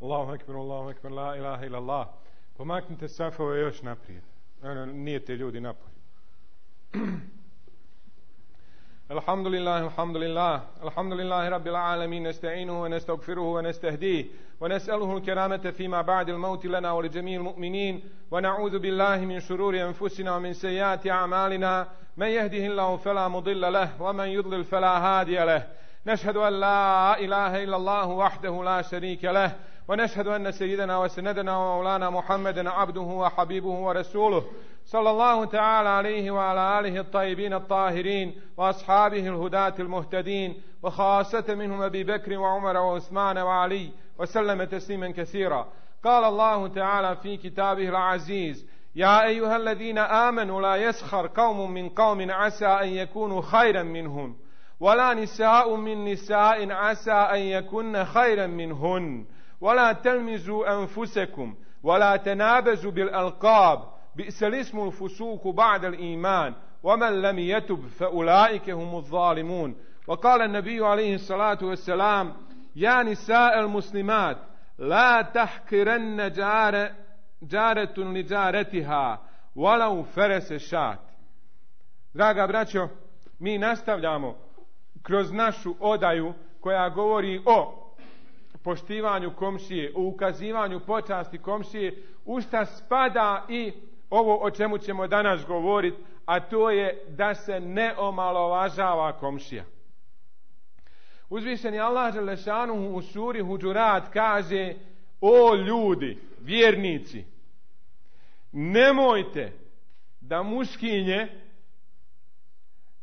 Allahu ekber, la ilaha illallah. Pomaknite safove još naprijed. Nije te ljudi napolje. الحمد لله رب العالمين نستعينه ونستغفره ونستهديه ونسأله الكرامة فيما بعد الموت لنا ولجميع المؤمنين ونعوذ بالله من شرور أنفسنا ومن سيئات أعمالنا من يهده الله فلا مضل له ومن يضلل فلا هادي له نشهد أن لا إله إلا الله وحده لا شريك له ونشهد أن سيدنا وسندنا ومولانا محمدا عبده وحبيبه ورسوله صلى الله تعالى عليه وعلى آله الطيبين الطاهرين وأصحابه الهداة المهتدين وخاصة منهم أبي بكر وعمر وعثمان وعلي وسلم تسليما كثيرا. قال الله تعالى في كتابه العزيز: يا أيها الذين آمنوا لا يسخر قوم من قوم عسى أن يكونوا خيرا منهم ولا نساء من نساء عسى أن يكن خيرا منهن ولا تلمزوا أنفسكم ولا تنابزوا بالألقاب بئس الاسم الفسوق بعد الإيمان ومن لم يتب فأولئك هم الظالمون. وقال النبي عليه الصلاة والسلام: يا نساء المسلمات لا تحقرن جارة لجارتها ولو فرس شات. Draga braćo, mi nastavljamo kroz našu odaju koja govori o poštivanju komšije, o ukazivanju počasti komšije, u šta spada i ovo o čemu ćemo danas govoriti, a to je da se ne omalovažava komšija. Uzvišeni Allah dželešanuhu u suri Huđurat kaže: o ljudi, vjernici, nemojte da muškinje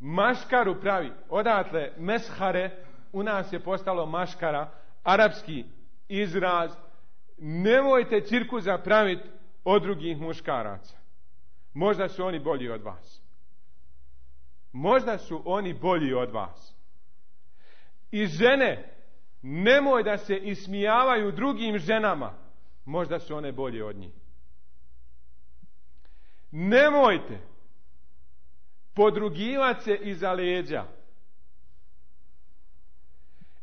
maškaru pravi. Odatle meshare u nas je postalo maškara, arapski izraz. Nemojte cirkuza praviti od drugih muškaraca. Možda su oni bolji od vas. Možda su oni bolji od vas. I žene, nemoj da se ismijavaju drugim ženama. Možda su one bolje od njih. Nemojte podrugivati se iza leđa.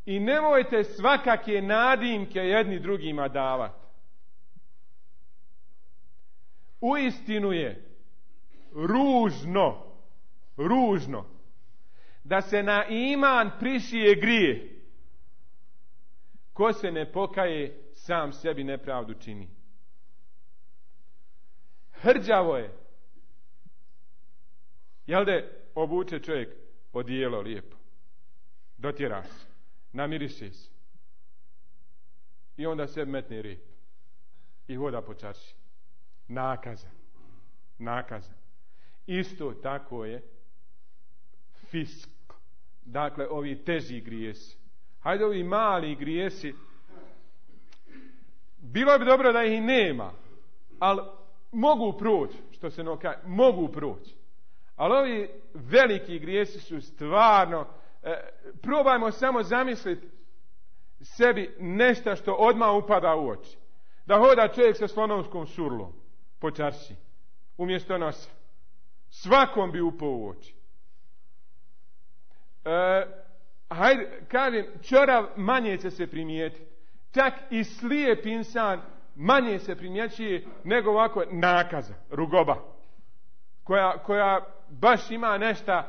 I nemojte svakake nadimke jedni drugima davati. Uistinu je ružno da se na iman prišije grije. Ko se ne pokaje, sam sebi nepravdu čini. Hrđavo je. Jel da obuče čovjek odijelo lijepo, dotjera se, namiriše se i onda sebi metne rep i hoda po čarši. Nakaza. Isto tako je fisk. Dakle, ovi teži grijesi. Hajde, ovi mali grijesi, bilo bi dobro da ih nema, ali mogu proći, što se mogu proći. Ali ovi veliki grijesi su stvarno, probajmo samo zamisliti sebi nešto što odmah upada u oči. Da hoda čovjek sa slonovskom surlom po čarši umjesto nosa. Svakom bi upao u oči. Hajde, kažem, čorav manje će se primijetiti. Čak i slijep insan manje se primjećuje nego ovako nakaza, rugoba, koja baš ima nešto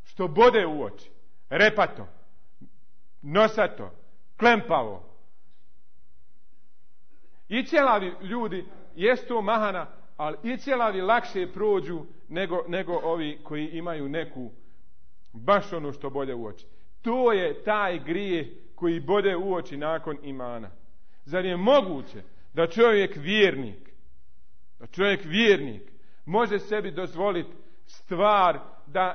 što bode u oči. Repato, nosato, klempavo. I ćelavi ljudi, jest to mahana, ali i ćelavi lakše prođu nego ovi koji imaju neku baš ono što bode u oči. To je taj grijeh koji bode u oči nakon imana. Zar je moguće da čovjek vjernik može sebi dozvoliti stvar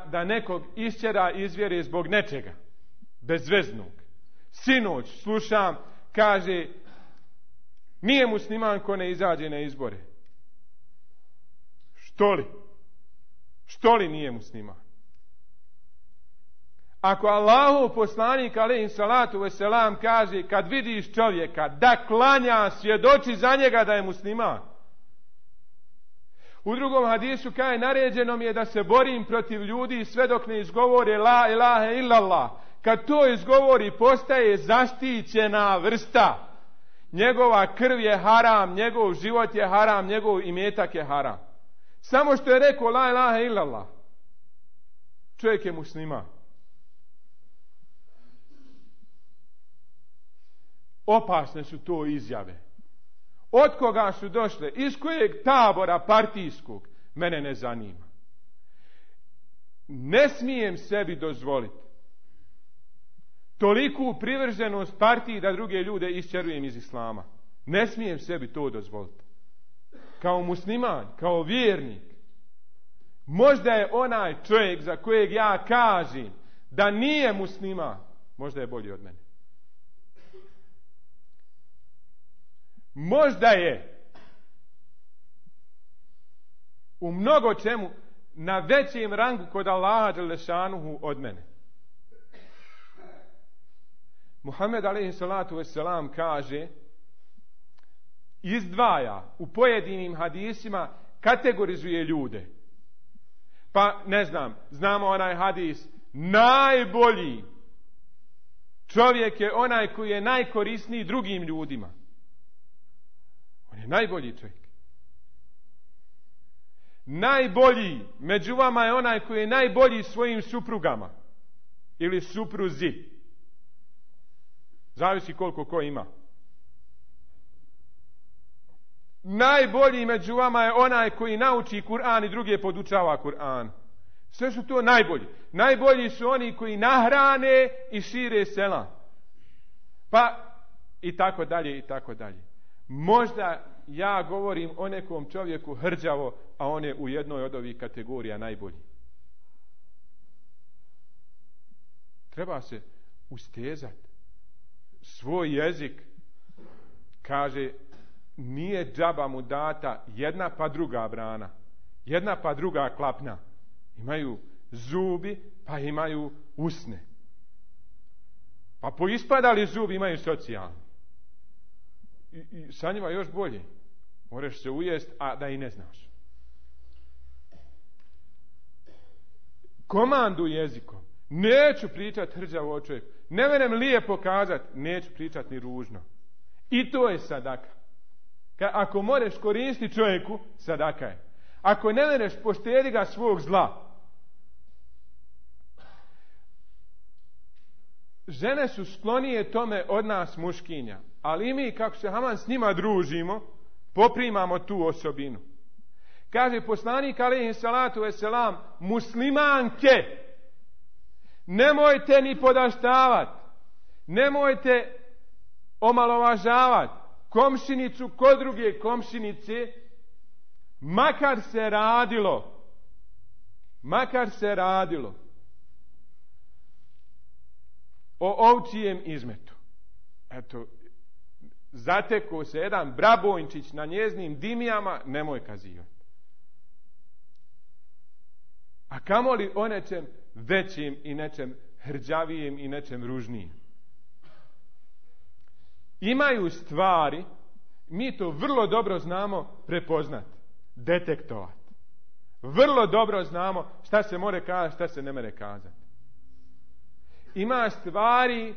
da nekog išćera iz vjere zbog nečega bezveznog? Sinoć slušam, kaže, nije musliman ko ne izađe na izbore. Što li nije musliman? Ako Allahov poslanik alejhi salatu vesselam kaže, kad vidiš čovjeka da klanja, svjedoči za njega da je musliman. U drugom hadisu kaže, naređeno mi je da se borim protiv ljudi sve dok ne izgovore la ilaha illallah. Kad to izgovori, postaje zaštićena vrsta. njegova krv je haram, njegov život je haram, njegov imetak je haram. Samo što je rekao la ilaha illallah, čovjek je musliman. Opasne su to izjave. Od koga su došle? Iz kojeg tabora partijskog? Mene ne zanima. Ne smijem sebi dozvoliti toliku privrženost partiji da druge ljude isčerujem iz islama. Ne smijem sebi to dozvoliti. Kao musliman, kao vjernik. Možda je onaj čovjek za kojeg ja kažem da nije musliman, možda je bolji od mene. Možda je u mnogo čemu na većem rangu kod Allaha dželešanuhu od mene. Muhammed alejhi salatu vesselam kaže, izdvaja u pojedinim hadisima, kategorizuje ljude. Pa ne znam, znamo onaj hadis, najbolji čovjek je onaj koji je najkorisniji drugim ljudima. On je najbolji čovjek. Najbolji među vama je onaj koji je najbolji svojim suprugama ili supruzi. Zavisi koliko ko ima. Najbolji među vama je onaj koji nauči Kur'an i druge podučava Kur'an. Sve su to najbolji. Najbolji su oni koji nahrane i šire selam. Pa i tako dalje i tako dalje. Možda ja govorim o nekom čovjeku hrđavo, a on je u jednoj od ovih kategorija najbolji. Treba se ustezati. Svoj jezik, kaže, nije džaba mu data jedna pa druga brana, jedna pa druga klapna. Imaju zubi, pa imaju usne. Pa poispadali zubi imaju socijalni. I sa njima još bolje. Moraš se ujest, a da i ne znaš. Komandu jezikom. Neću pričati hrđavo o čovjeku. Ne venem lijepo kazati, neću pričati ni ružno. I to je sadaka. Ako možeš koristiti čovjeku, sadaka je. Ako ne veneš, poštedi ga svog zla. Žene su sklonije tome od nas muškinja. Ali mi, kako se Haman s njima družimo, poprimamo tu osobinu. Kaže poslanik alejhi salatu vesselam, muslimanke, nemojte ni podaštavati, nemojte omalovažavati komšinicu kod druge komšinice, makar se radilo o ovčijem izmetu. Eto, zateko se jedan brabojnčić na njeznim dimijama, nemoj kazivati. A kamoli o nečem većim i nečem hrđavijem i nečem ružnijem. Imaju stvari, mi to vrlo dobro znamo prepoznati, detektovati. Vrlo dobro znamo šta se more kazati, šta se ne more kazati. Ima stvari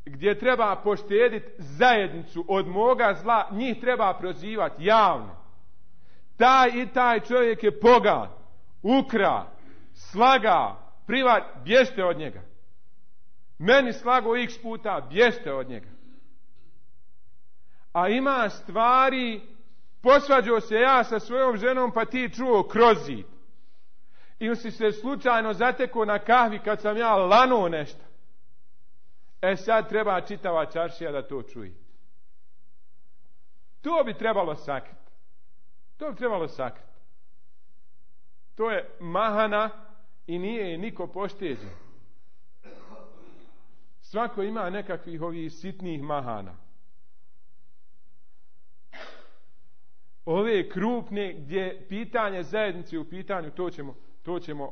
gdje treba poštediti zajednicu od moga zla, njih treba prozivati javno. Taj i taj čovjek je pogan, ukra, slaga, privat, bježte od njega. Meni slago x puta, bježte od njega. A ima stvari, posvađao se ja sa svojom ženom, pa ti čuo kroz zid. Ili si se slučajno zatekao na kahvi kad sam ja lanuo nešto. Sad treba čitava čaršija da to čuje. To bi trebalo sakriti. To je mahana i nije je niko pošteđen. Svako ima nekakvih ovih sitnih mahana. Ove krupne gdje pitanje zajednice u pitanju, to ćemo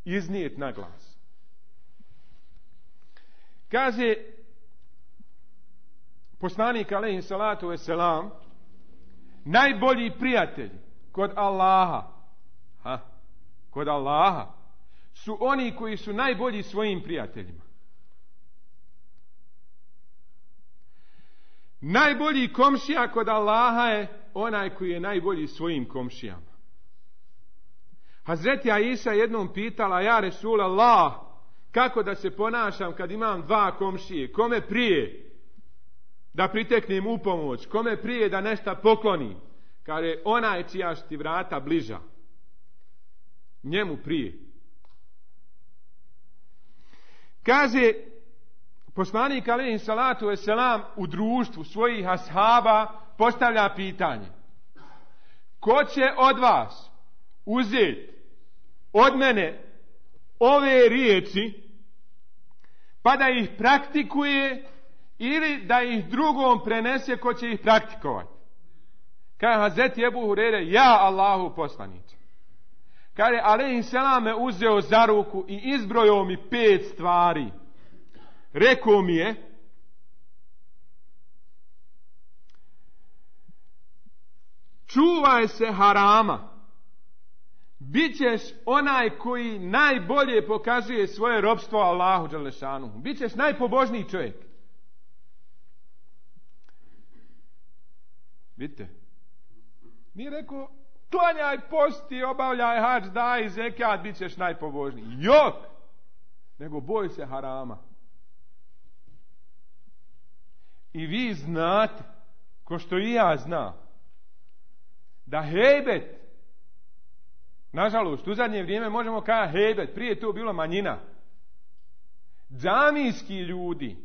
iznijeti na glas. Kaže poslanik alejhi salatu vesselam, najbolji prijatelji kod Allaha su oni koji su najbolji svojim prijateljima. Najbolji komšija kod Allaha je onaj koji je najbolji svojim komšijama. Hazreti Aisha jednom pitala: ja Resul Allah, kako da se ponašam kad imam dva komšije? Kome prije da priteknem u pomoć? Kome prije da nešto poklonim? Kaže: onaj čija su ti vrata bliža, njemu prije. Kaže poslanik alejhi salatu vesselam u društvu svojih ashaba postavlja pitanje: ko će od vas uzeti od mene ove riječi pa da ih praktikuje, ili da ih drugom prenese ko će ih praktikovati? Kaže Hazreti Ebu Hurere: ja Allahu poslanice. Kaže alejhi selam me uzeo za ruku i izbrojao mi 5 stvari. Rekao mi je: čuvaj se harama, bićeš onaj koji najbolje pokazuje svoje robstvo Allahu dželešanu, bićeš najpobožniji čovjek. Vidite, nije rekao klanjaj, posti, obavljaj hadž, daj zekat, bit ćeš najpobožniji. Jok! Nego boj se harama. I vi znate, ko što i ja znam, da hejbet, nažalost, u zadnje vrijeme možemo kazati hejbet, prije je to bilo manjina. Džamijski ljudi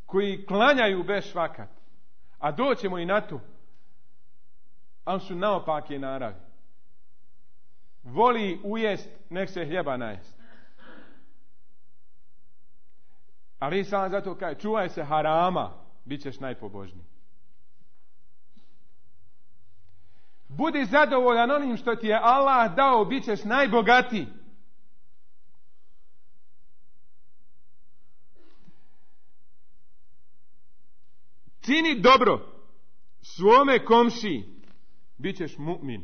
koji klanjaju bez švakat, a doćemo i na to, ali su naopake naravi. Voli ujest, nek se hljeba najest. Ali sam zato kaže: čuvaj se harama, bit ćeš najpobožniji. Budi zadovoljan onim što ti je Allah dao, bit ćeš najbogatiji. Čini dobro svome komšiji, bit ćeš mu'min.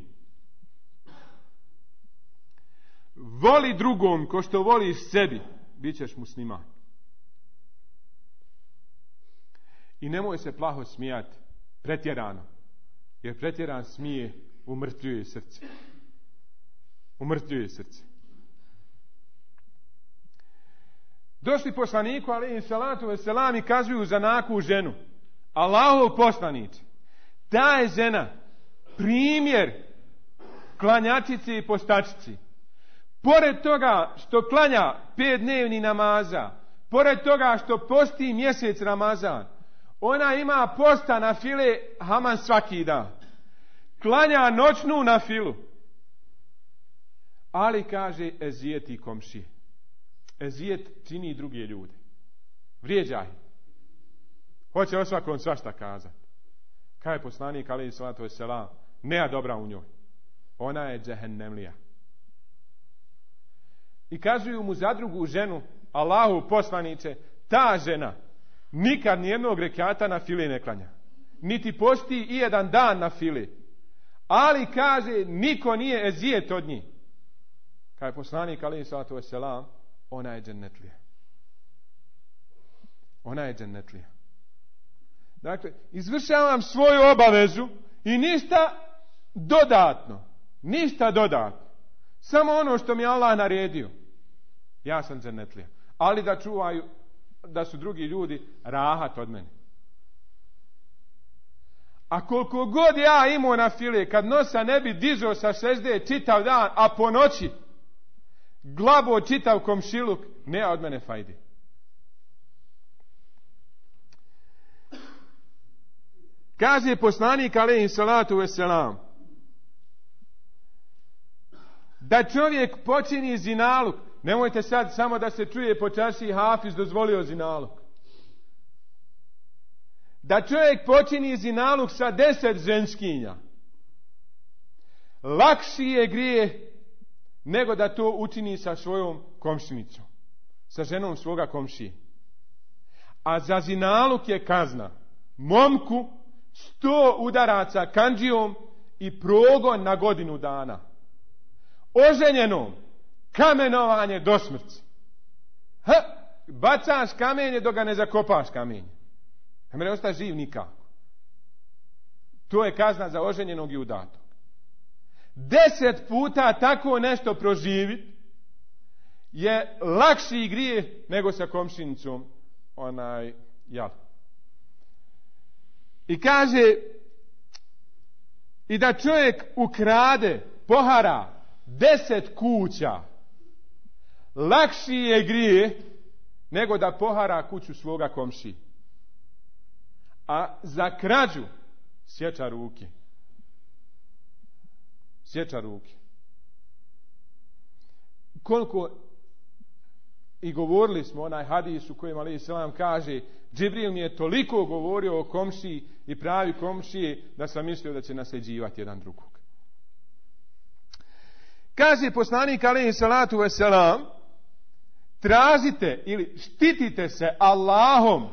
Voli drugom ko što voliš sebi, bit ćeš musliman. I nemoj se plaho smijati, pretjerano, jer pretjeran smije umrtvljuje srce. Umrtvljuje srce. Došli poslaniku alejhi salatu vesselam i kazuju za naku ženu: Allahov poslanice, ta je žena primjer klanjačici i postačici. Pored toga što klanja 5 dnevni namaza, pored toga što posti mjesec Ramazan, ona ima posta na file haman svaki dan. Klanja noćnu na filu. Ali kaže ezijeti komšije. Ezijet čini druge ljude. Vrijeđaj. Hoće o svakom svašta kazati. Kaj je poslanik alejhi salatu vesselam? Nema dobra u njoj. Ona je džehennemlija. I kazuju mu za drugu ženu: Allahu poslanice, ta žena nikad nijednog rekata na file ne klanja, niti posti i jedan dan na file, ali kaže niko nije ezijet od njih. Kaj je poslanik alejhi salatu vesselam? Ona je džennetlija. Ona je džennetlija. Dakle, izvršavam svoju obavezu i ništa dodatno. Ništa dodatno. Samo ono što mi je Allah naredio. Ja sam džennetlija. Ali da čuvaju, da su drugi ljudi rahat od mene. A koliko god ja imao na file, kad nosa ne bi dizao sa sežde čitav dan, a po noći glabo čitav komšiluk, ne od mene fajdi. Kaže poslanik alejhi salatu vesselam da čovjek počini zinaluk. Nemojte sad samo da se čuje po čaršiji Hafiz dozvolio zinaluk. Da čovjek počini zinaluk sa 10 ženskinja, lakši je grijeh nego da to učini sa svojom komšinicom, sa ženom svoga komšije. A za zinaluk je kazna momku 100 udaraca kandžijom i progon na godinu dana. Oženjenom kamenovanje do smrti. bacaš kamenje dok ga ne zakopaš kamenje. Ne može ostati živ nikako. To je kazna za oženjenog i udatog. 10 puta tako nešto proživiti je lakši grijeh nego sa komšinicom jel. I kaže i da čovjek ukrade, pohara 10 kuća, lakši je grijeh nego da pohara kuću svoga komšije. A za krađu sjeća ruke. Sjeća ruke. Koliko i govorili smo onaj hadis u kojem alejhi selam kaže Džibril mi je toliko govorio o komšiji i pravi komšije da sam mislio da će nasljeđivati jedan drugog. Kaže poslanik alejhi salatu vesselam, tražite ili štitite se Allahom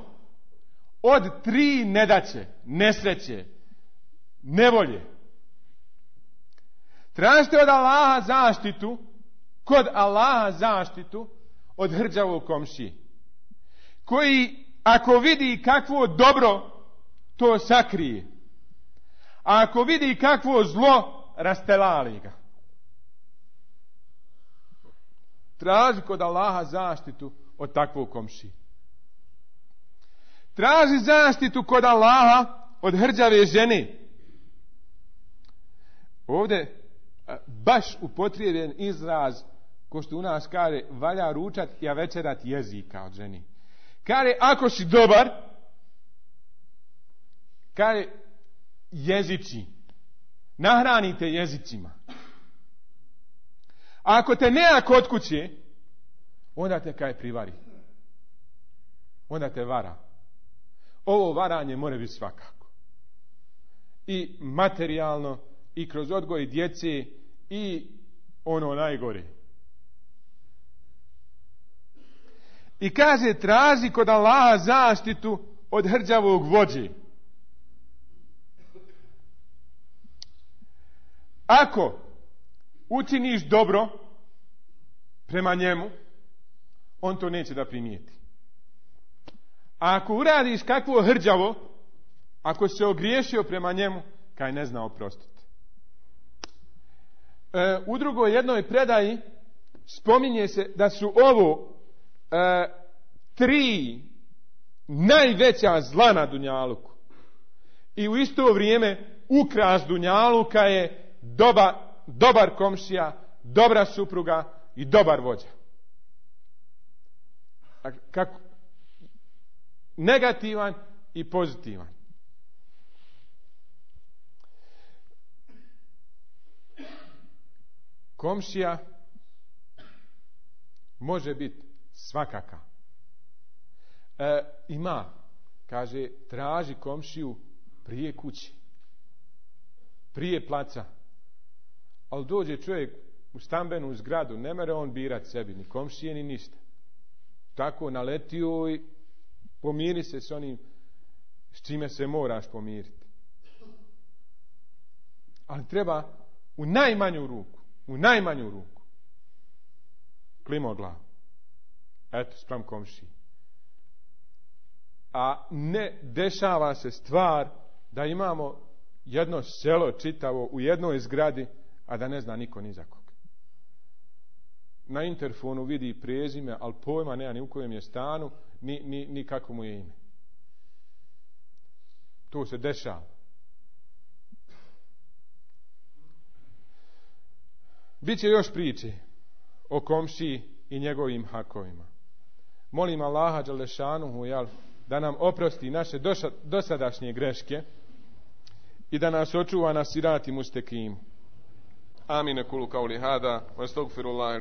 od 3 nedaće, nesreće, nevolje. Tražite od Allaha zaštitu, kod Allaha zaštitu od hrđavog komšije, koji ako vidi kakvo dobro, to sakrije. A ako vidi kakvo zlo, rastelali ga. Traži kod Allaha zaštitu od takvog komšije. Traži zaštitu kod Allaha od hrđave žene. Ovdje baš upotrijebljen izraz, ko što u nas kaže, valja ručat i večerat jezika od ženi. Kaže, ako si dobar, kaže, jezici, nahranite jezicima. A ako te nema kod kuće, onda te kaj privari. Onda te vara. Ovo varanje mora biti svakako. I materijalno, i kroz odgoj djece, i ono najgore. I kaže, traži kod Allaha zaštitu od hrđavog vođe. Ako učiniš dobro prema njemu, on to neće da primijeti. A ako uradiš kakvo hrđavo, ako se ogriješio prema njemu, kaj ne zna oprostiti. U drugoj jednoj predaji spominje se da su ovo 3 najveća zla na dunjaluku. I u isto vrijeme ukras dunjaluka je dobar komšija, dobra supruga i dobar vođa. Kako? Negativan i pozitivan. Komšija može biti svakaka. Kaže, traži komšiju prije kući, prije placa. Ali dođe čovjek u stambenu zgradu, ne mere on birat sebi, ni komšije, ni ništa. Tako naletio i pomiri se s onim s čime se moraš pomiriti. Ali treba u najmanju ruku klimoglav. Eto, spram komšiji. A ne dešava se stvar da imamo jedno selo čitavo u jednoj zgradi, a da ne zna niko ni za koga. Na interfonu vidi prezime, ali pojma nema ni u kojem je stanu, ni kako mu je ime. To se dešava. Biće još priče o komšiji i njegovim hakovima. Molim Allaha dželešanuhu da nam oprosti naše dosadašnje greške i da nas očuva na sirati mustekim. Amin, kulu kauli hada, wa astagfirullah.